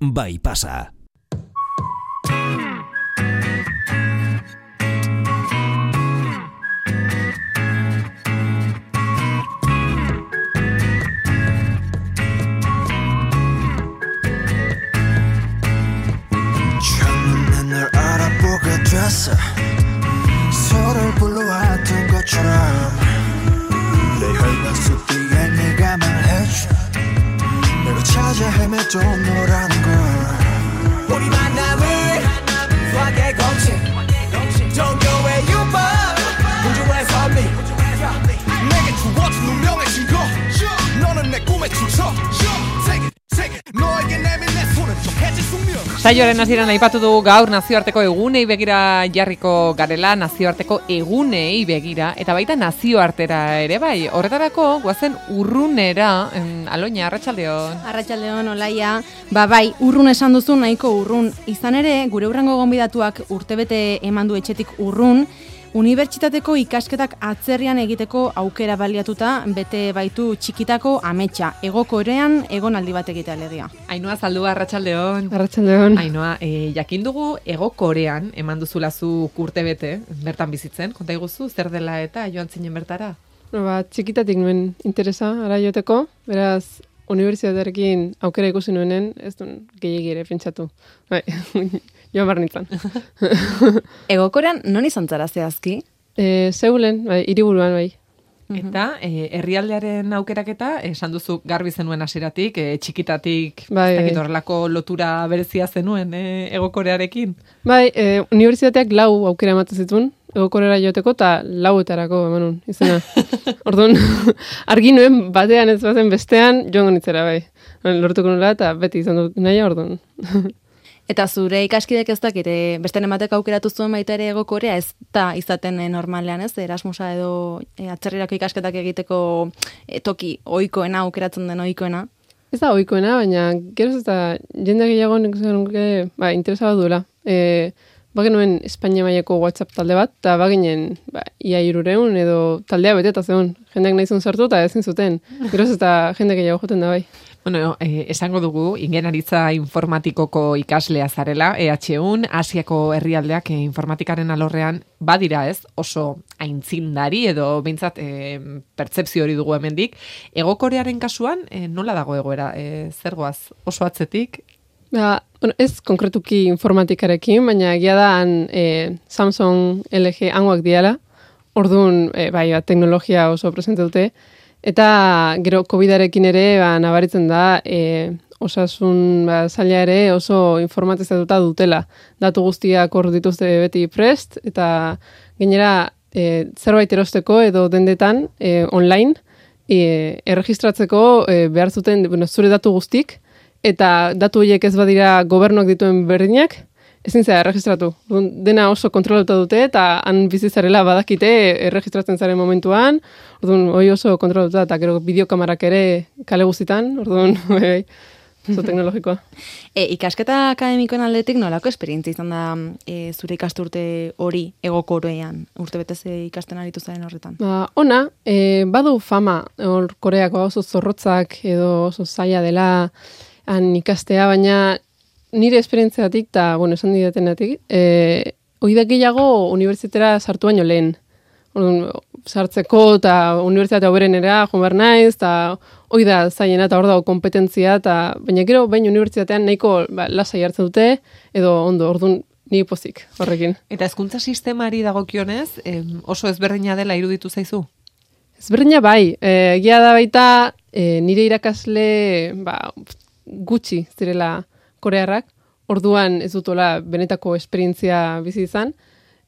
bai pasa. 첫눈에 널 알아보게 됐어. 서로를 불러왔던 것처럼 내 혈관 속 뒤에 네가 말해줘. 내가 찾아 헤매도 너라는 걸. 우리 만남을 수학의 공식 종교의 유법 우주의 선미 내게 주어진 운명의 증거. 너는 내 꿈의 주석. 너에게 내민 내 손은 좀 해질 숙명. Saioaren hasieran aipatu dugu gaur nazioarteko egunei begira jarriko garela, nazioarteko egunei begira, eta baita nazioartera ere bai. Horretarako, guazen urrunera, Aloña, arratsaldeon. Arratsaldeon, Olaia. Bai, urrun esan duzu, nahiko urrun. Izan ere, gure hurrengo gonbidatuak urtebete eman du etxetik urrun, unibertsitateko ikasketak atzerrian egiteko aukera baliatuta bete baitu txikitako ametsa. Hego Korean egonaldi bat egitea alegia. Ainhoa Zaldua, arratsaldeon. Arratsaldeon. Ainhoa, jakin dugu Hego Korean eman duzula zu urtebete bertan bizitzen. Konta iguzu, zer dela eta joan zinen bertara? Txikitatik nuen interesa ara joteko, beraz unibertsitatearekin aukera ikusi nuenen, ez duen gehiegi ere pentsatu. Bai, joan behar nintzen. Hego Korean non izan zara zehazki? Seulen, bai, hiriburuan bai. Eta herrialdearen aukeraketa, esan duzu garbi zenuen hasieratik, txikitatik, Bai, ez dakit horrelako lotura berezia zenuen Hego Korearekin. Bai, unibertsitateak 4 aukera ematen zituen, Hego Koreara joteko, eta 4etarako emanun izena. Orduan, argi nuen batean ez bazen bestean, joango nitzera bai. Lortuko nula eta beti izan dut nahi orduan. Eta zure ikaskidek ez dakit, beste ematek aukeratu zuen baita ere Hego Korea, ez da izaten normalean, ez? Erasmusa edo atzerrirako ikasketak egiteko toki ohikoena, aukeratzen den ohikoena. Ez da ohikoena, baina geroz ez da jende gehiago nik interesaba duela. Bagenuen Espainia mailako WhatsApp talde bat, eta baginen ia 300 edo taldea beteta zegoen. Jendeak nahi zuen sartu eta ezin zuten. Geroz ez da jende gehiago joten da bai. Bueno, esango dugu, ingenieritza informatikoko ikaslea zarela, EHUn, Asiako herrialdeak informatikaren alorrean badira ez, oso aintzindari edo behintzat pertzepzio hori dugu hemendik. Hego Korearen kasuan, nola dago egoera? Zer goaz, oso atzetik? Ez konkretuki informatikarekin, baina egia da Samsung, LG hangoak diala, orduan teknologia oso presente dute, eta gero COVID-arekin ere nabaritzen da osasun zaila ere oso informatizatuta dutela. Datu guztiak hor dituzte beti prest, eta gainera zerbait erosteko edo dendetan online erregistratzeko behar zuten zure datu guztik, eta datu horiek ez badira gobernuak dituen berdinak, ezin zera erregistratu. Dena oso kontrolatuta dute, eta han bizitzarela badakite erregistratzen zaren momentuan, orduan hori oso kontrolatuta, eta gero bideokamarak ere kale guztitan, orduan oso teknologikoa. Ikasketa akademikoen aldetik nolako esperientzia izan da zure ikasturte hori Hego Korean, urtebetez ikasten aritu zaren horretan? Ona, badu fama, hor Koreako oso zorrotzak edo oso zaila dela han ikastea, baina nire esperientziatik, eta, esan didatenatik, oida gehiago unibertsitatera sartu baino lehen. Sartzeko eta unibertsitate hoberenera joan behar naiz, eta oida zailena eta hor dago kompetentzia, baina gero bain unibertsitatean nahiko lasai hartzen dute, edo ondo, orduan ni pozik horrekin. Eta hezkuntza sistemari dagokionez, oso ezberdina dela iruditu zaizu? Ezberdina bai, egia da baita nire irakasle gutxi zirela korearrak, orduan ez dutola benetako esperientzia bizi izan,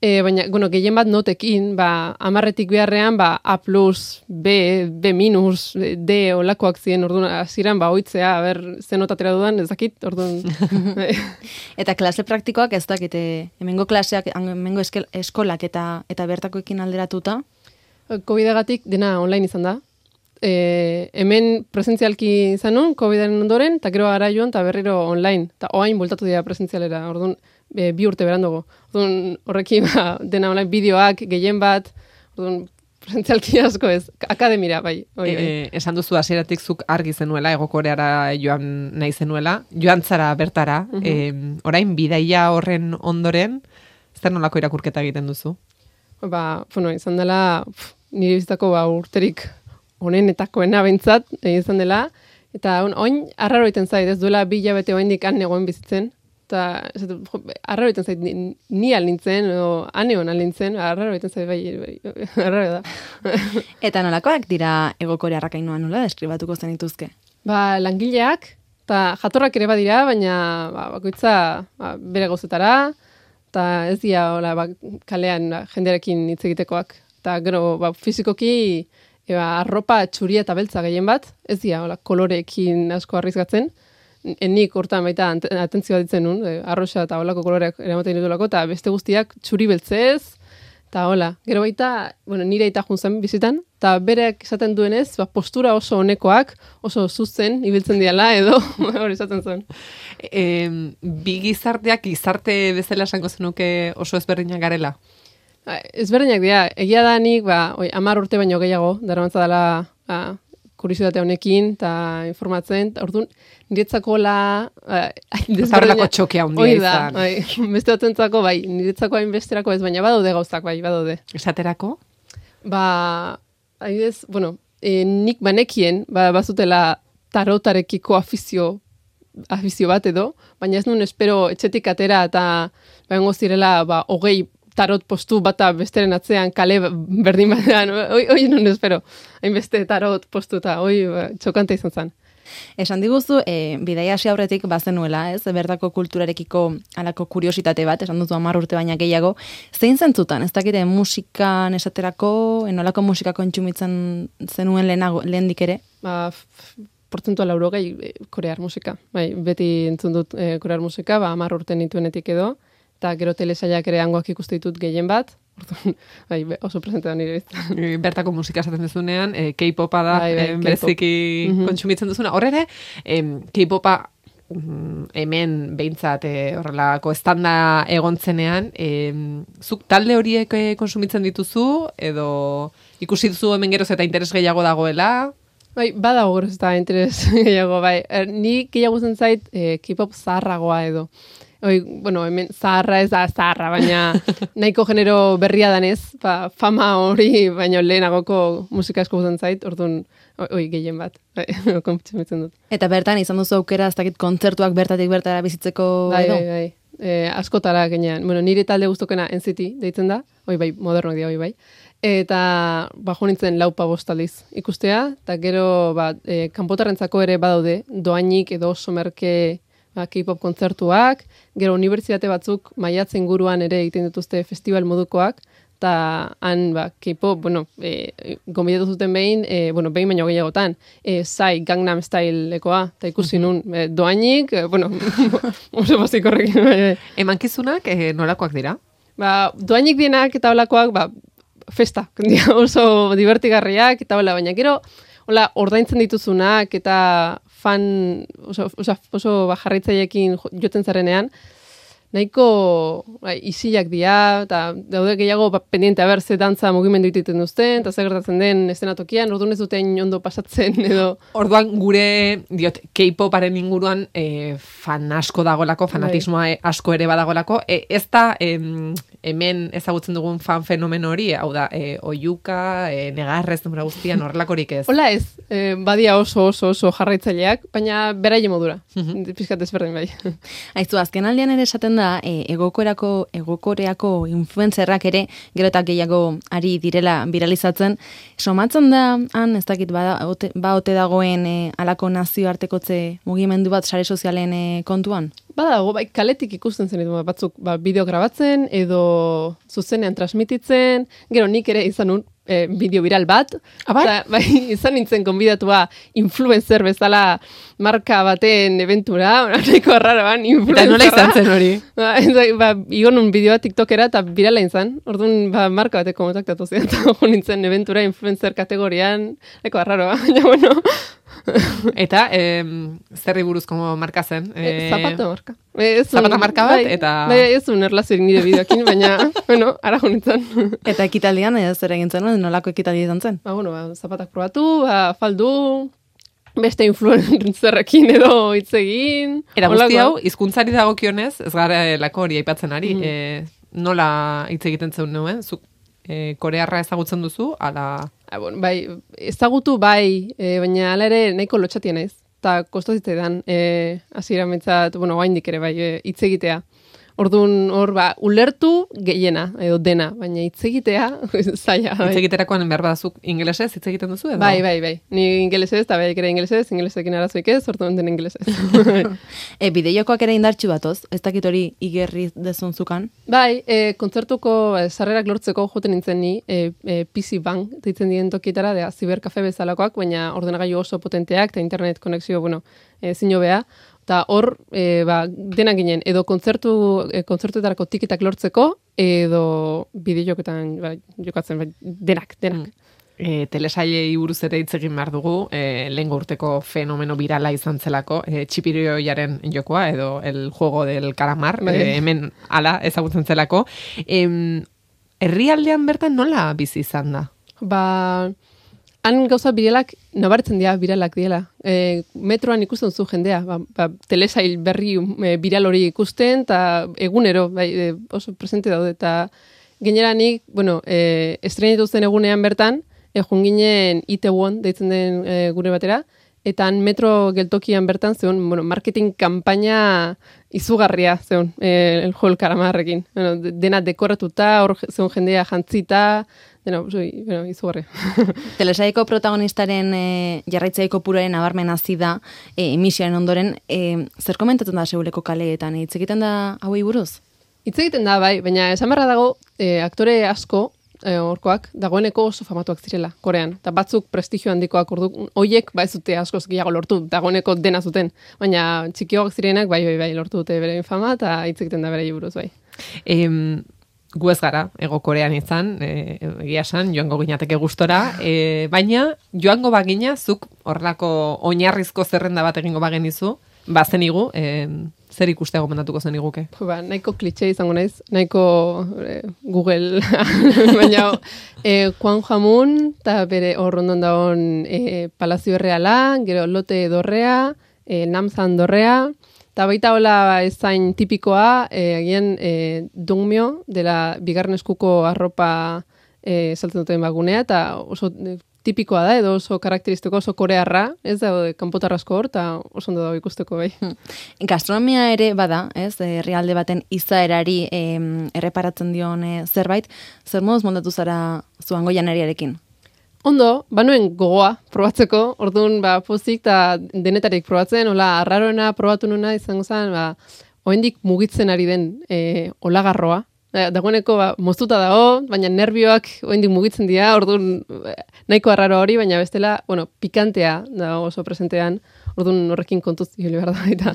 baina, gehien bat notekin, 10etik beharrean, A+, B, B-, D olakoak ziren, orduan, hasieran oitzea, ze notatera dudan, ez dakit, orduan. Eta klase praktikoak ez dakite, hemengo klaseak, hemengo eskolak eta bertakoekin alderatuta? COVID-agatik dena online izan da. Hemen presentzialki izan nun, COVID-aren ondoren, eta gero gara joan, eta berriro online. Eta oain bultatu dira presentzialera, orduan, 2 urte berandugu. Orduan, horrekin dena online bideoak, gehien bat, orduan, presentzialki asko ez, akademira, bai. Esan duzu hasieratik zuk argi zenuela, Egokoreara joan nahi zenuela, joan zara bertara, orain bidaia horren ondoren, zer nolako irakurketa egiten duzu? Izan dela, nire bizitako urterik honenetakoena behintzat, izan dela, eta oin, arraro egiten zait, ez duela 2 hilabete oraindik han egoen bizitzen, eta arraro egiten zait, ni nintzen, o aneon nintzen, arraro egiten zait, bai, arraro da. Eta nolakoak dira Egokorearrak Ainhoa, nola deskribatuko zen dituzke? Langileak, eta jatorrak ere badira, baina bakoitza bere gauzetara, eta ez dira kalean jendearekin hitz egitekoak. Eta gero, fizikoki, arropa txuria eta beltza gehien bat, ez dira koloreekin asko arrizgatzen. Nik hortan baita atentzioa ditzen nun, arroxa eta holako koloreak eramaten ditulako, eta beste guztiak txuri beltzez, eta hola. Gero baita, nire aita juntzen bizitan, eta bereak esaten duenez, postura oso honekoak, oso zuzen, ibiltzen diala edo, hori esaten zuen. Bi gizarteak gizarte bezala esango zenuke oso ezberdinak garela? Ezberdinak dira, egia da nik, 10 urte baino gehiago, darabantza dela kuriositate honekin, eta informatzen, orduan, niretzako Zarrelako txokea handia izan. Beste batentzako, niretzako hainbesterako ez, baina badaude gauzak, badaude. Esaterako? Adibidez, nik banekien, bazutela tarotarekiko afizio bat edo, baina ez nun espero etxetik atera eta bengo zirela 20 tarot postu bata besteren atzean kale berdin batean, hoi non espero, hainbeste tarot postu eta hoi txokante izan zen. Esan diguzu, bidaia hasi aurretik bazenuela, ez? Bertako kulturarekiko alako kuriositate bat, esan duzu 10 urte baina gehiago. Zein zentzutan, ez dakite musikan esaterako, enolako musika kontsumitzen zenuen lehendik ere? Portzentua 80 korear musika. Beti entzun dut korear musika, 10 urte nituenetik edo, eta gero telesaiak ere hangoak ikuste ditut gehien bat, oso presente da nire biztan. Bertako musika esaten duzunean, K-popa da, bereziki kontsumitzen duzuna. Horre, K-popa hemen behintzat horrelako estanda egontzenean, zuk talde horiek kontsumitzen dituzu, edo ikusi duzu hemen geroz eta interes gehiago dagoela? Badago geroz eta interes gehiago, Ni gehiago zen zait K-pop zaharragoa edo. Hemen zaharra ez da zaharra, baina nahiko genero berria danez, fama hori, baina lehenagoko musika asko guzen zait, orduan, gehien bat, kontsumitzen dut. Eta bertan, izan duzu aukera, ez dakit kontzertuak bertatik bertara bizitzeko edo? Askotara genean. Nire talde guztokena NCT deitzen da, modernoak dira, bai. Eta jo nintzen 4-5 aldiz ikustea, eta gero kanpotarrentzako ere badaude, doainik edo oso merke K-pop kontzertuak, gero unibertsitate batzuk maiatze inguruan ere egiten dituzte festival modukoak, eta han K-pop, gombidatu zuten behin baino gehiagotan, Gangnam Styleekoa, eta ikusi nun, doainik, oso basik horrekin. Emankizunak nolakoak dira? Doainik dienak eta holakoak, festa, oso divertigarriak, eta hola, baina gero, ordaintzen dituzunak, eta fan, oso jarraitzaileekin joten zarenean, nahiko isilak dira, eta daude gehiago pendiente haber ze dantza mugimendu egiten duzten, eta zer gertatzen den eszenatokian, orduan ez duten ondo pasatzen edo. Orduan gure, K-poparen inguruan fan asko dagolako, fanatismoa asko ere badagolako, ez da hemen ezagutzen dugun fan fenomeno hori, hau da, oiuka, negarrez, denbora guztian, horrelakorik ez. Hola ez, badia oso jarraitzaileak, baina beraile modura, pizkat ezberdin bai. Aizu, azken aldean ere esaten da, Egokoreako influencerrak ere, gero eta gehiago ari direla viralizatzen, somatzen da, han, ez dakit, ote dagoen alako nazioartekotze mugimendu bat sare sozialen kontuan? Badago, kaletik ikusten zen ditu batzuk bideo grabatzen edo zuzenean transmititzen, gero nik ere izan nun bideo viral bat, izan nintzen konbidatua influencer bezala marka baten eventura, nahiko arraroan influencerra. Eta nola izan zen hori? Igo nun bideoa TikTokera eta virala izan, orduan marka bateko kontaktatu zen, eta nintzen eventura influencer kategorian, nahiko arraroa, baina Eta, zerri buruzko marka zen? Zapato marka. Zapata marka bat, eta... Bai, ez un erlaziorik nire bideokin, baina, bueno, ara jonitzen. Eta ekitaldian, zer egin zen, nolako ekitaldi izan zen? Zapatak probatu, faldu, beste influencerrekin edo hitz egin. Eta guzti hau, hizkuntzari dagokionez, ez gara lako hori aipatzen ari, nola hitz egiten zeun nuen, zuk korearra ezagutzen duzu, ala... Bai, ezagutu bai, baina ala ere nahiko lotxatia naiz. Eta kostazitzaidan, hasiera mentzat, oraindik ere bai, hitz egitea. Orduan, ulertu gehiena, edo dena, baina hitz egitea, zaila. Hitz egiterakoan behar badazuk ingelesez hitz egiten duzu, edo? Bai. Ni ingelesez, eta bai ere ingelesekin arazoik ez, orduan den ingelesez. Bideojokoak ere indartxu batoz, ez dakit hori igerri dezun zukan? Bai, kontzertuko sarrerak lortzeko joten nintzen ni, PC Bank, deitzen diren tokietara, ziberkafe bezalakoak, baina ordenagailu oso potenteak, eta internet konexio, zino beha. Eta hor, denak ginen, edo kontzertuetarako tiketak lortzeko, edo bideojoketan jokatzen, denak. Telesailei buruz ere hitz egin behar dugu, lehengo urteko fenomeno virala izan zelako, txipirioiaren jokoa, edo el juego del calamar, hemen ala ezagutzen zelako. Herrialdean bertan nola bizi izan da? Han gauza biralak, nabaritzen dira biralak diela. Metroan ikusten zu jendea, telesail berri viral hori ikusten, eta egunero, oso presente daude, eta gaineranik, estreinitu zen egunean bertan, junginen Itaewon, deitzen den gure batera, eta metro geltokian bertan zeun, marketing kampaina izugarria zeun, el juego del calamarrekin. Dena dekoratuta, hor zeun jendea jantzita, izugarria. Telesaiko protagonistaren jarraitzaiko puroaren abarmen hazi da, emisioaren ondoren, zer komentatzen da seuleko kaleetan, hitz egiten da hauei buruz? Hitz egiten da, bai, baina esan barra dago, aktore asko, horkoak, dagoeneko oso famatuak zirela, Korean. Eta batzuk prestigio handikoak hoiek, ez dute askoz gehiago lortu, dagoeneko dena zuten. Baina txikioak zirenak, bai, lortu dute bere fama, eta hitz egiten da bere buruz, bai. Gu ez gara, ego Korean izan, egia esan, joango ginateke gustora, baina joango bagina, zuk horrelako oinarrizko zerrenda bat egingo bagenizu, bazenigu, zer ikustea gomendatuko zen iguke? Nahiko klitxe izango naiz, nahiko Google, baina Kwon Jamun, eta bere horrondon dagoen Palazio Erreala, gero Lote Dorrea, Namsan Dorrea, eta baita hola ezain tipikoa, egien Dongmyo, dela bigarren eskuko arropa saltzen duten bagunea, eta oso tipikoa da, edo oso karakteristiko, oso korearra, ez da, kanpotarrasko hor, eta oso ondo dago ikusteko bai. Gastronomia ere bada, ez, herrialde baten izaerari erreparatzen dion zerbait, zer moduz moldatu zara zuango janariarekin? Ondo, banuen gogoa probatzeko, orduan pozik eta denetarik probatzen, hola, arraroena probatu nuna izango zen, oraindik mugitzen ari den olagarroa, dagoeneko moztuta dago, baina nervioak oraindik mugitzen dira, orduan nahiko arraro hori, baina bestela, pikantea dago oso presentean, orduan horrekin kontuz hili behar da baita.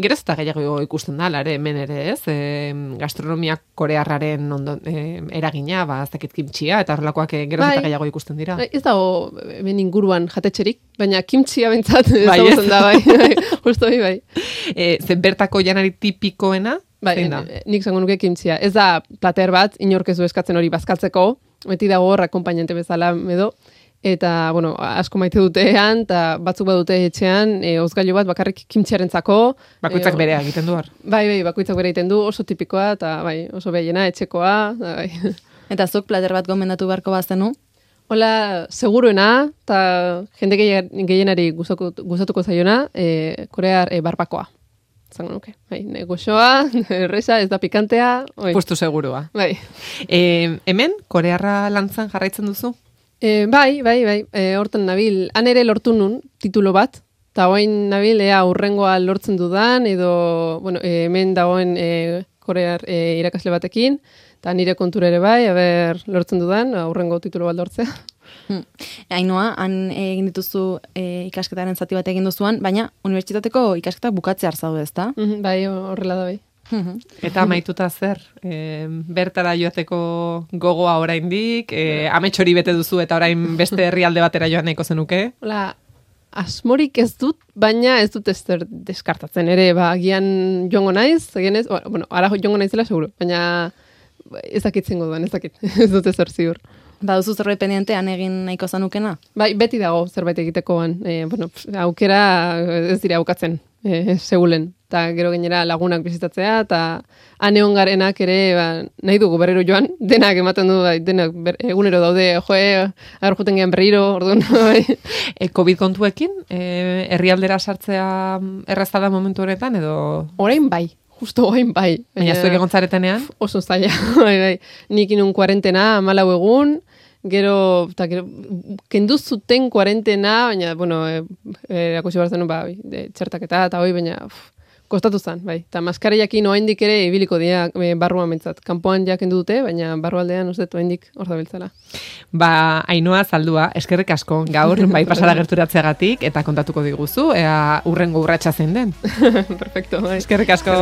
Gero ez eta gehiago ikusten da, lare, hemen ere ez, gastronomia korearraren eragina, ez dakit kimtxia, eta horrelakoak gero ez eta gehiago ikusten dira. Ez dago hemen inguruan jatetxerik, baina kimtxia bentsat ezagutzen da, bai, justo bai. Zen bertako janari tipikoena, nik zango nuke kimtxia. Ez da plater bat, inorkezu eskatzen hori bazkaltzeko, beti dago hor akompainante bezala edo, eta, asko maite dutean, eta batzuk badute etxean, ozgailu bat bakarrik kimtxiarentzako. Bakoitzak berea egiten du hor. Bai, bakoitzak berea egiten du, oso tipikoa, eta oso behiena, etxekoa. Bai. Eta zuk plater bat gomendatu beharko bazenu? Hola, seguruena, eta jende gehienari gustatuko zaiona, korear barbakoa. Zango nuke. Goxoa, erresa, ez da pikantea. Puestu segurua. Bai. Hemen, korearra lantzan jarraitzen duzu? Bai. Hortan nabil, han ere lortu nun titulo bat, eta hoain nabil, urrengoa lortzen dudan, edo, hemen dagoen korear irakasle batekin, eta nire kontura ere bai, lortzen dudan, urrengo titulo bat lortzea. Ainhoa, han egin dituzu ikasketaren zati bat egin duzuan, baina unibertsitateko ikasketak bukatzea zaude, ezta? Bai, horrela da bai. Eta amaituta zer, bertara joateko gogoa oraindik, amets hori bete duzu eta orain beste herrialde batera joan nahiko zenuke? Hola, asmorik ez dut, baina ez dut ezer deskartatzen ere, agian joango naiz, ara joango naizela seguro, baina ez dakit zingo duen, ez dakit, ez dut ezer ziur. Baduzu zerbait pendientean egin nahiko zanukena? Bai, beti dago zerbait egitekoan. Aukera ez dira aukatzen, segulen. Eta gero gainera lagunak bizitatzea, eta aneon garenak ere nahi dugu berriro joan, denak ematen du, denak egunero daude, agarjuten gehan berriro, orduan. COVID kontuekin, herrialdera sartzea errazta da momentu honetan, edo? Orain bai. Justo orain bai. Baina zuek egon zaretenean? Oso zaila, bai. Nik inun kuarentena, 14 egun, gero kendu zuten kuarentena, baina, erakusi barzen, txertaketa eta hoi, baina kostatu zen, bai. Eta maskariakin oraindik ere ibiliko dira barruan mentzat. Kanpoan ja kendu dute, baina barrualdean oraindik hor dabiltzala. Ainhoa Zaldua, eskerrik asko gaur, bai pasara gerturatzeagatik, eta kontatuko diguzu, ea urrengo urratsa zein den. Perfecto, bai. Eskerrik asko.